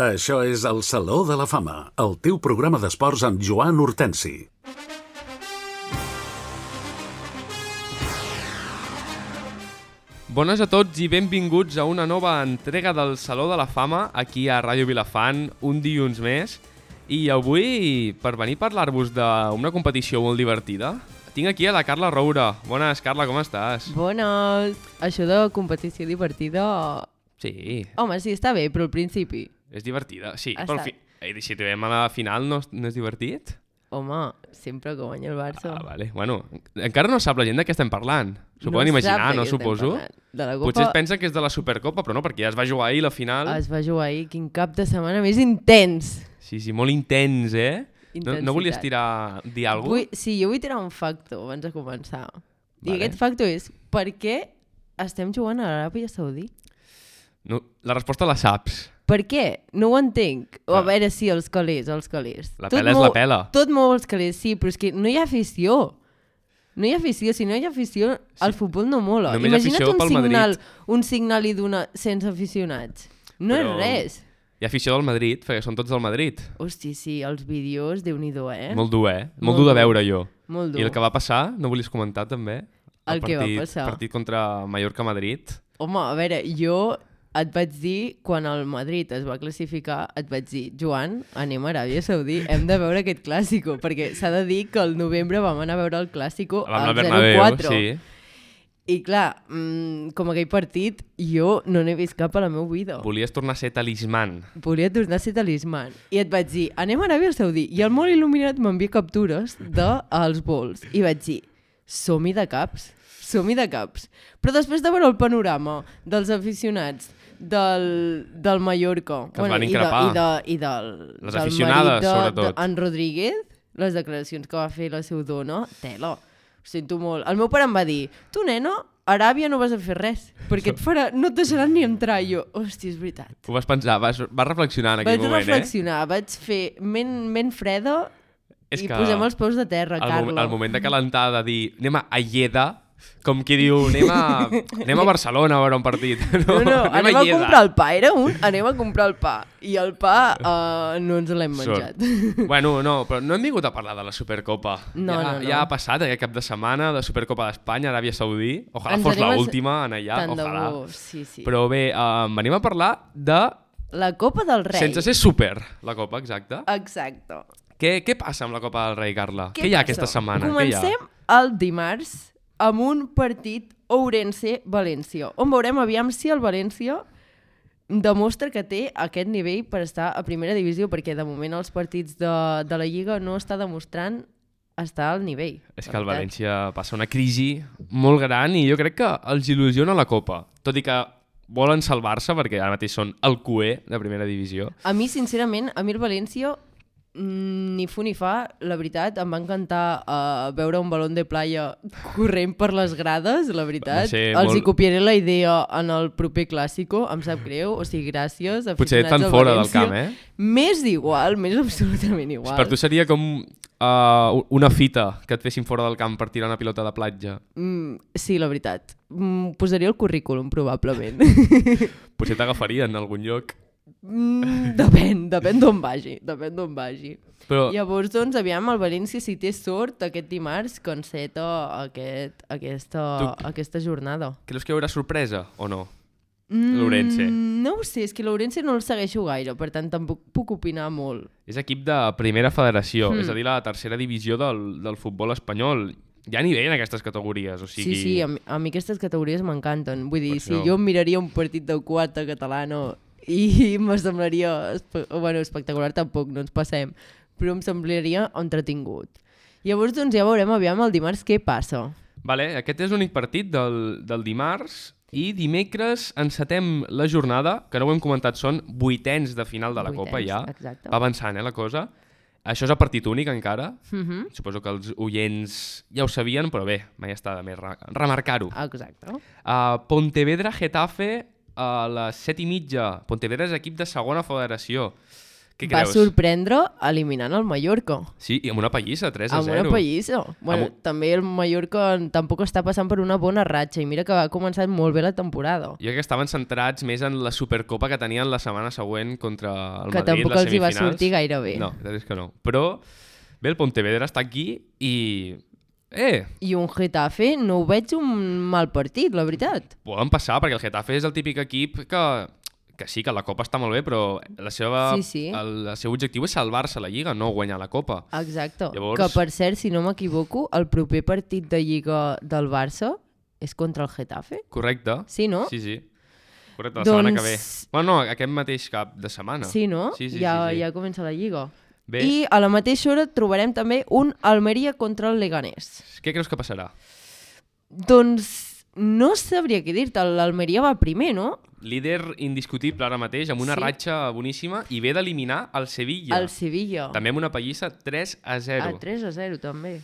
Això és el Saló de la Fama, el teu programa d'esports amb Joan Hortensi. Bones a tots i benvinguts a una nova entrega del Saló de la Fama aquí a Ràdio Vilafant, un dilluns més. I avui, per venir a parlar-vos d'una competició molt divertida, tinc aquí a la Carla Roura. Bones, Carla, com estàs? Bones! Això de competició divertida... Sí. Home, sí, està bé, però al principi... És divertida, sí. Ha Però estat. si arribem a la final no és divertit? Home, sempre que guanya el Barça. Ah, vale. Bueno, encara no sap la gent de què estem parlant. S'ho poden imaginar, no, suposo? De la Copa... Potser es pensa que és de la Supercopa, però no, perquè ja es va jugar ahir la final. Es va jugar ahir, quin cap de setmana més intens. Sí, molt intens, eh? No volies dir alguna cosa? Sí, jo vull tirar un facto abans de començar. I Vale. aquest facto és, per què estem jugant a l'Aràbia Saudí? No, la resposta la saps. Per què? No ho entenc. A Ah. veure, sí, els calés. La pela és la pela. Tot mou els calés, sí, però és que no hi ha afició. No hi ha afició. Si no hi ha afició, el futbol no mola. Només Imagina't afició pel Madrid. un signal i d'una sense aficionats. No Però és res. Hi ha afició del Madrid, perquè són tots del Madrid. Hosti, sí, els vídeos, Déu-n'hi-do, eh? Molt dur, eh? Molt Molt dur de dur. veure, jo. Molt dur. I el que va passar, no volies comentar també? El que va passar? El partit contra Mallorca-Madrid. Home, a veure, jo et vaig dir, quan el Madrid es va classificar, et vaig dir, Joan, anem a Aràbia Saudí, hem de veure aquest clàssico, perquè s'ha de dir que al novembre vam anar a veure el clàssico Vam anar al al Bernabéu, 0-4. sí. I clar, com aquell partit, jo no n'he vist cap a la meva vida. Volies tornar a ser talisman. Volia tornar a ser talisman. I et vaig dir, anem a Aràbia Saudí. I el molt il·luminat m'envia captures dels vols. I vaig dir, som-hi de caps. Som-hi de caps. Però després de veure el panorama dels aficionats del Mallorca... Que es van increpar. I del Les aficionades, sobretot. En Rodríguez, les declaracions que va fer la seva dona, tela. Ho sento molt. El meu pare em va dir, tu, nena, a Aràbia no vas a fer res, perquè no et deixaran ni entrar. I jo, hòstia, és veritat. Ho vas pensar, vas reflexionar en aquell moment, Vaig reflexionar, vaig fer ment freda i posem els peus de terra, Carla. El moment de calentar, de dir, anem a Lleida, com qui diu, anem a Barcelona a veure un partit. No, anem a Lleida. comprar el pa, anem a comprar el pa. I el pa no ens l'hem menjat. Bueno, no, però no hem vingut a parlar de la Supercopa. No. Ja ha passat aquest cap de setmana de Supercopa d'Espanya, Aràbia Saudí. Ojalà Ens fos anem l'última en allà, Tant de ojalà. bo, sí. Però bé, venim a parlar de... La Copa del Rei. Sense ser super, la Copa, exacte. Exacte. Què passa amb la Copa del Rei, Carla? Què hi ha aquesta setmana? Comencem el dimarts amb un partit Ourense-València, on veurem aviam si el València demostra que té aquest nivell per estar a primera divisió, perquè de moment els partits de la Lliga no està demostrant estar al nivell. És que el València passa una crisi molt gran i jo crec que els il·lusiona la Copa, tot i que volen salvar-se perquè ara mateix són el cué de primera divisió. A mi, sincerament, el València ni fu ni fa, la veritat, em va encantar veure un balón de playa corrent per les grades, la veritat. Els hi copiaré la idea en el proper clàssico, em sap greu, o sigui, gràcies, aficionats potser tan del fora València. del camp, eh? Més igual, més absolutament igual. Per tu seria com una fita que et fessin fora del camp per tirar una pilota de platja. Sí, la veritat. Posaria el currículum, probablement. Potser t'agafarien en algun lloc. Depèn d'on vagi, Però... Llavors, doncs, aviam, el València, si té sort, aquest dimarts, que enceta aquesta jornada. Creus que hi haurà sorpresa o no? L'Ourense. No ho sé, és que l'Ourense no el segueixo gaire, per tant tampoc puc opinar molt. És equip de primera federació, és a dir, la tercera divisió del futbol espanyol. Hi ha nivell en aquestes categories, o sigui... Sí, a mi aquestes categories m'encanten. Vull dir, si això... jo miraria un partit de quarta catalana i me semblaria... espectacular tampoc, no ens passem, però em semblaria entretingut. Llavors, doncs, ja veurem aviam el dimarts què passa. Vale, aquest és l'únic partit del dimarts i dimecres encetem la jornada, que no ho hem comentat, són vuitens de final de la Copa ja. Exacte. Va avançant, la cosa. Això és a partit únic encara. Suposo que els oients ja ho sabien, però bé, mai està de més remarcar-ho. Exacte. Pontevedra-Getafe a les 7:30. Pontevedra és equip de segona federació. Què va creus? sorprendre eliminant el Mallorca. Sí, i amb una pallissa, 3-0. Amb una pallissa. Bueno, també el Mallorca tampoc està passant per una bona ratxa i mira que va començar molt bé la temporada. Jo crec que estaven centrats més en la Supercopa que tenien la setmana següent contra el Que Madrid, tampoc les els hi va semifinals. sortir gaire bé. No, la veritat és que no. Però bé, el Pontevedra està aquí i... I un Getafe no ho veig un mal partit, la veritat. Poden passar, perquè el Getafe és el típic equip que sí, que la Copa està molt bé, però el seu objectiu és salvar-se a la Lliga, no guanyar la Copa. Exacte. Llavors... Que, per cert, si no m'equivoco, el proper partit de Lliga del Barça és contra el Getafe? Correcte. Sí, no? Sí, sí. Correcte, la setmana que ve. Bueno, no, aquest mateix cap de setmana. Sí, no? Sí. Ja comença la Lliga. Bé. I a la mateixa hora trobarem també un Almeria contra el Leganés. Què creus que passarà? Doncs no sabria què dir-te, l'Almeria va primer, no? Líder indiscutible ara mateix, amb una ratxa boníssima, i ve d'eliminar el Sevilla. El Sevilla. També amb una pallissa 3-0. 3-0, també.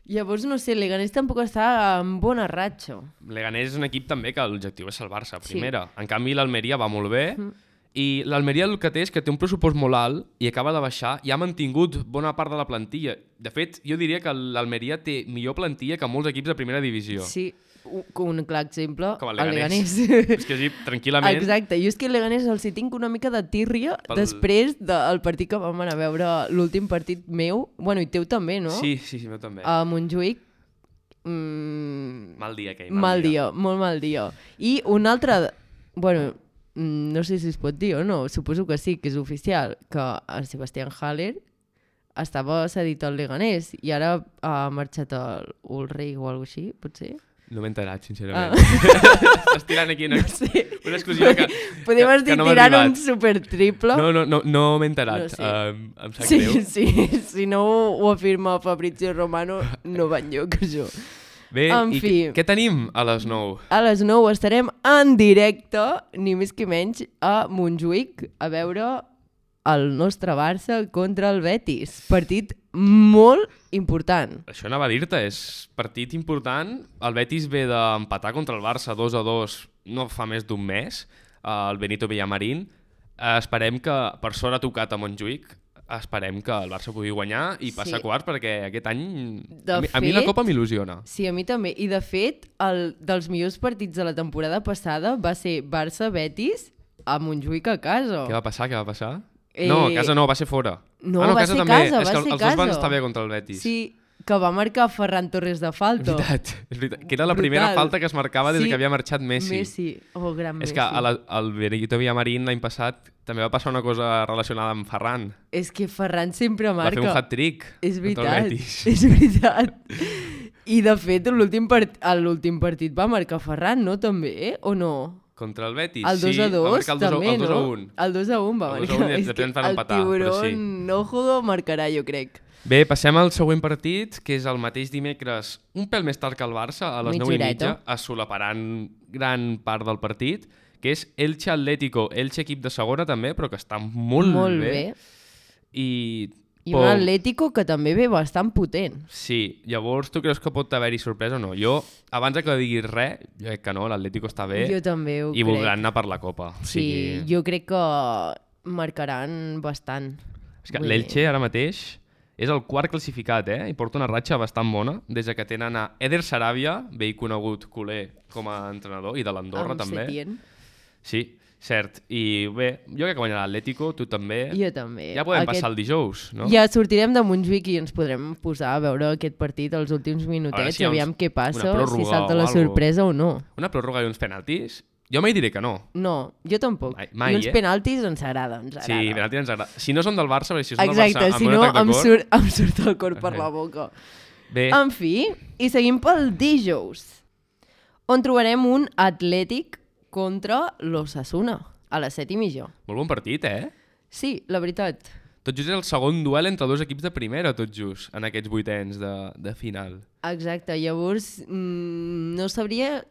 Llavors, no sé, Leganés tampoc està en bona ratxa. Leganés és un equip també que l'objectiu és salvar-se a primera. Sí. En canvi, l'Almeria va molt bé, i l'Almeria el que té és que té un pressupost molt alt i acaba de baixar i ha mantingut bona part de la plantilla. De fet, jo diria que l'Almeria té millor plantilla que molts equips de primera divisió. Sí, un clar exemple, com el Leganés. És que sí, tranquil·lament... Exacte, jo és que el Leganés els hi tinc una mica de tírria després del partit que vam anar a veure, l'últim partit meu, bueno, i teu també, no? Sí, meu també. A Montjuïc. Mal dia, aquell. Mal dia, molt mal dia. I un altre... Bueno, no sé si es pot dir o no, suposo que sí, que és oficial, que el Sebastián Haller estava cedit al Leganés i ara ha marxat al Ulreich o alguna cosa així, potser? No m'he enterat, sincerament. Estàs tirant aquí una exclusiva que podem estar no m'ha tirant arribat. un supertriple. No m'he enterat. No sé. Em sap greu. Sí, si no ho afirma Fabrizio Romano, no va enlloc, això. Bé, en fi, què tenim a les 9? A les 9 estarem en directe, ni més que menys, a Montjuïc, a veure el nostre Barça contra el Betis. Partit molt important. Això anava a dir-te, és partit important. El Betis ve d'empatar contra el Barça 2-2 no fa més d'un mes, el Benito Villamarín. Esperem que, per sort ha tocat a Montjuïc, esperem que el Barça pugui guanyar i passar a quarts, perquè aquest any a mi la Copa m'il·lusiona. Sí, a mi també. I de fet, dels millors partits de la temporada passada va ser Barça-Betis a Montjuïc a casa. Què va passar? No, a casa no, va ser fora. No, va ser també. casa, és que va ser els dos van estar bé contra el Betis. Sí, que va marcar Ferran Torres de falta. És veritat. Que era la primera falta que es marcava des que havia marxat Messi. Gran Messi. És que al Benito Villamarín l'any passat també va passar una cosa relacionada amb Ferran. És que Ferran sempre marca. Va fer un hat-trick. És veritat, és veritat. I de fet, l'últim partit va marcar Ferran, no? També, o no? Contra el Betis, el 2-2 sí, també, el 2-1. El 2-1 va marcar. És que el tiburón ojo marcarà, jo crec. Bé, passem al següent partit, que és el mateix dimecres, un pèl més tard que el Barça, a les 9:30, assolaparant gran part del partit, que és Elche Atlético. Elche equip de segona també, però que està molt bé. I un Atlético que també ve bastant potent. Sí, llavors tu creus que pot haver-hi sorpresa o no? Jo, abans que diguis res, jo crec que no, l'Atlético està bé. Jo també ho crec. I voldran anar per la Copa. Sí, jo crec que marcaran bastant. És que l'Elche ara mateix és el quart classificat, i porta una ratxa bastant bona, des que tenen a Eder Sarabia, vell conegut culer com a entrenador, i de l'Andorra també. Setién. Sí, cert. I bé, jo crec que guanyarà l'Atlético, tu també. Jo també. Ja podem passar el dijous, no? Ja sortirem de Montjuïc i ens podrem posar a veure aquest partit els últims minutets, aviam què passa, si salta la sorpresa o no. Una pròrroga i uns penaltis? Jo mai diré que no. No, jo tampoc. Mai, I uns penaltis ens agrada, Sí, penaltis ens agrada. Si no són del Barça, perquè si són del Barça, si no em surt el cor per la boca. Bé. En fi, i seguim pel dijous, on trobarem un Atlètic contra l'Osasuna, a les 7:30. Molt bon partit, Sí, la veritat. Tot just és el segon duel entre dos equips de primera, tot just, en aquests vuitens de final. Exacte, llavors no sabria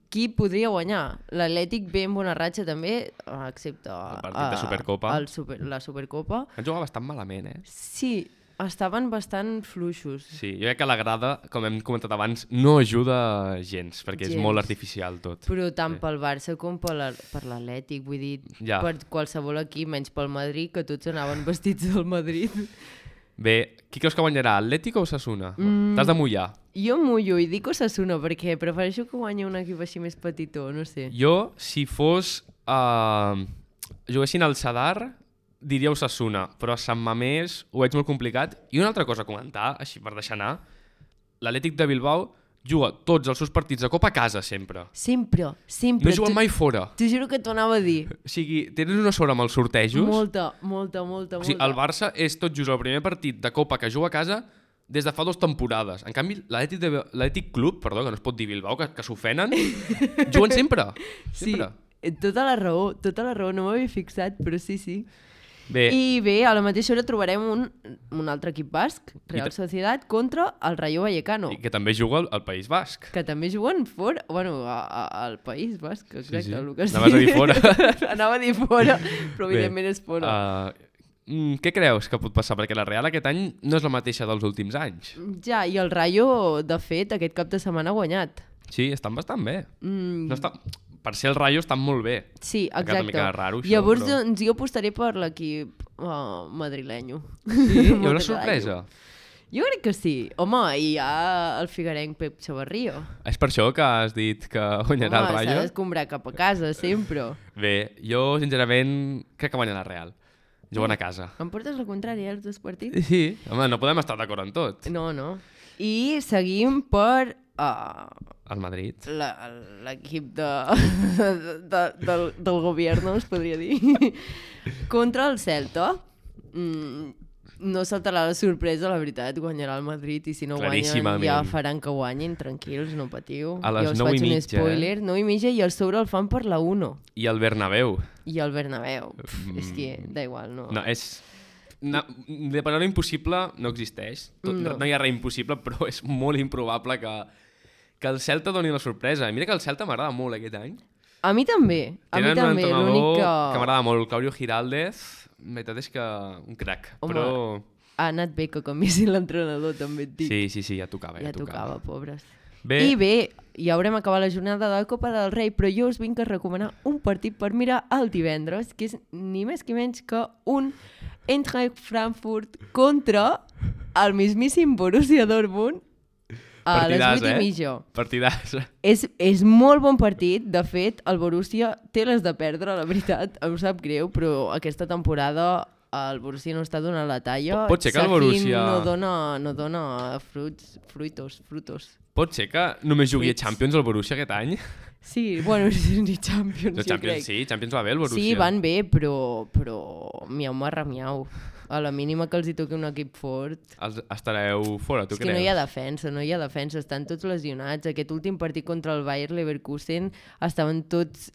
qui podria guanyar. L'Atlètic ve amb una ratxa també, excepte el partit de Supercopa. La Supercopa. Han jugat bastant malament, Sí, estaven bastant fluixos. Sí, jo crec que la grada, com hem comentat abans, no ajuda gens, perquè és Gens. molt artificial tot. Però tant pel Barça com per l'Atlètic, vull dir, Ja. per qualsevol equip, menys pel Madrid, que tots anaven vestits del Madrid. Bé, qui creus que guanyarà, Atlètic o Osasuna? T'has de mullar. Jo mullo i dic Osasuna perquè prefereixo que guanyi un equip així més petitó, no sé. Jo, si fos... juguessin al Sadar, diria Osasuna, però a Sant Mamés ho veig molt complicat. I una altra cosa a comentar, així per deixar anar, l'Atlètic de Bilbao juga tots els seus partits de Copa a casa sempre. Sempre. No juguen mai fora. T'ho juro que t'ho anava a dir. O sigui, tens una sort amb els sortejos. Molta. O sigui, el Barça és tot just el primer partit de Copa que juga a casa des de fa 2 temporades. En canvi, l'Atlètic Club, perdó, que no es pot dir Bilbao, que s'ofenen, juguen sempre. Sempre. Sí, tota la raó, no m'havia fixat, però sí. Bé, I bé, a la mateixa hora trobarem un altre equip basc, Real Sociedad, contra el Rayo Vallecano, i que també juga al País Basc. que també juguen fora, bueno, al País basc, exacte, Sí. el que Anaves a dir fora. Anava a dir fora, però Bé, evidentment és fora. Què creus que pot passar? Perquè la Real aquest any no és la mateixa dels últims anys. Ja, i el Rayo, de fet, aquest cap de setmana ha guanyat. Sí, estan bastant bé. No està... Per ser el Rayo estan molt bé. Sí, Ha quedat una exacte. mica raro, això, Llavors, però- doncs, jo apostaré per l'equip madrilenyo. Sí, hi haurà sorpresa. Jo crec que sí. Home, i hi ha el figuerenc Pep Chavarrío. És per això que has dit que guanyarà el S'ha Rayo? d'escombrar cap a casa, sempre. Bé, jo sincerament crec que guanya la Real. Juguen a casa. Em portes la contrària, els dos partits? Sí, home, no podem estar d'acord en tot. No. I seguim per El Madrid. l'equip del govern, es podria dir, contra el Celta. No saltarà la sorpresa, la veritat, guanyarà el Madrid i si no guanyen Claríssimament. ja faran que guanyin, tranquils, no patiu. A les ja us 9:30, faig un spoiler, 9:30 i el sobre el fan per la 1. I el Bernabéu. I el Bernabéu, és que da igual, no. No, és... No, de paraula impossible no existeix. No hi ha res impossible, però és molt improbable que el Celta doni la sorpresa. I mira que el Celta m'agrada molt aquest any. A mi també, Tenen un l'únic entrenador que... que m'agrada molt, Claudio Giraldez. La veritat és que un crac, Home, però... ha anat bé que canviessin l'entrenador, també et dic. Sí, ja tocava. Ja tocava, pobres. Bé, I bé, ja haurem acabat la jornada de la Copa del Rei, però jo us vinc a recomanar un partit per mirar el divendres, que és ni més que menys que un Eintracht Frankfurt contra el mismíssim Borussia Dortmund a les 8:30. Partidàs. És molt bon partit. De fet, el Borussia té les de perdre, la veritat. Em sap greu, però aquesta temporada el Borussia no està donant la talla. Pot ser que el Borussia... no dona fruitos. Pot ser que només jugui a Fruits. Champions el Borussia aquest any? Sí, bueno, ni Champions, No, jo Champions crec. sí, Champions va bé el Borussia. Sí, van bé, però miau marra miau. A la mínima que els hi toqui un equip fort... Estareu fora, tu És que creus? no hi ha defensa, estan tots lesionats. Aquest últim partit contra el Bayer Leverkusen estaven tots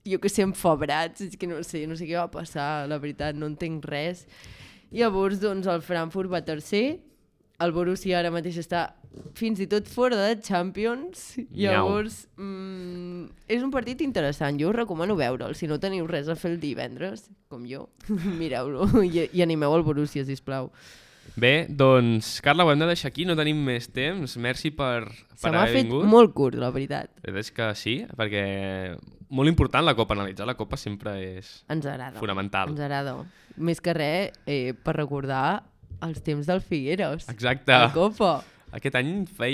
jo que sé, enfebrats, és que no sé què va passar, la veritat, no entenc res. Llavors, doncs, el Frankfurt va tercer, el Borussia ara mateix està fins i tot fora de Champions. Llavors, és un partit interessant, jo us recomano veure'l. Si no teniu res a fer el divendres, com jo, mireu-lo i animeu el Borussia, sisplau. Bé, doncs, Carla, ho hem de deixar aquí, no tenim més temps. Merci per Se m'ha haver fet vingut. molt curt, la veritat. És que sí, perquè molt important la Copa, analitzar la Copa sempre és Ens agrada. fonamental. Ens agrada. Més que res, per recordar els temps del Figueres. Exacte. La Copa. Aquest any fa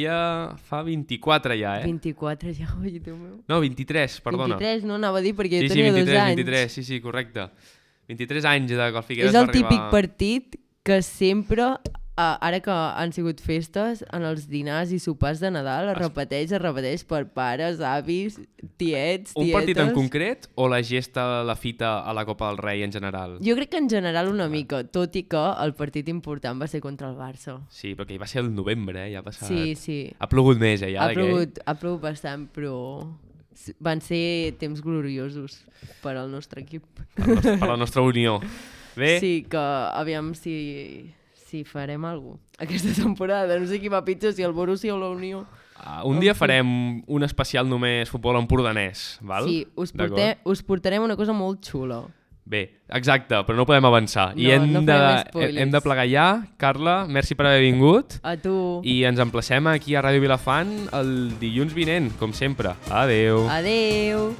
24 ja, 24 ja, oi, Déu meu. No, 23, perdona. 23, no anava a dir perquè jo Sí, tenia 23, 2 anys. 23, sí, correcte. 23 anys de que el Figueres És el va arribar... típic partit que sempre, ara que han sigut festes, en els dinars i sopars de Nadal es repeteix per pares, avis, tietes... Un partit en concret o la gesta, la fita a la Copa del Rei en general? Jo crec que en general una mica, tot i que el partit important va ser contra el Barça. Sí, perquè hi va ser el novembre, ja ha passat... Sí. Ha plogut més, ja, Ha plogut bastant, però van ser temps gloriosos per al nostre equip. Per la nostra unió. Bé, Sí, que aviam si farem alguna cosa aquesta temporada. No sé qui va pitjor, si el Borussia o la Unió. un dia farem un especial només futbol empordanès, val? Sí, us D'acord? portarem una cosa molt xula. Bé, exacte, però no podem avançar. I No farem spoilers. hem de plegar ja. Carla, merci per haver vingut. A tu. I ens emplacem aquí a Ràdio Vilafant el dilluns vinent, com sempre. Adeu. Adeu.